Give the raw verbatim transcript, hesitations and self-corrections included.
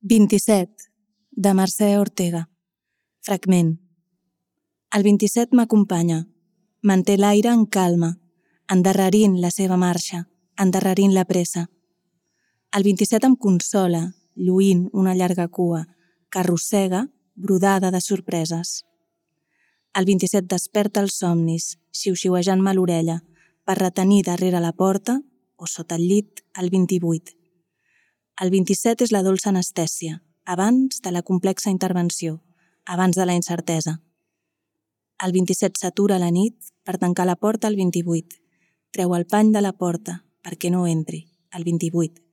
vint-i-set, de Mercè Ortega. Fragment. El vint-i-set m'acompanya, manté l'aire en calma, endarrerint la seva marxa, endarrerint la pressa. El vint-i-set em consola, lluint una llarga cua, que arrossega, brodada de sorpreses. El vint-i-set desperta els somnis, xiu-xiuejant-me l'orella, per retenir darrere la porta, o sota el llit, el vint-i-vuit. El vint-i-set és la dolça anestèsia, abans de la complexa intervenció, abans de la incertesa. El vint-i-set s'atura a la nit per tancar la porta al vint-i-vuit. Treu el pany de la porta perquè no entri, el vint-i-vuit.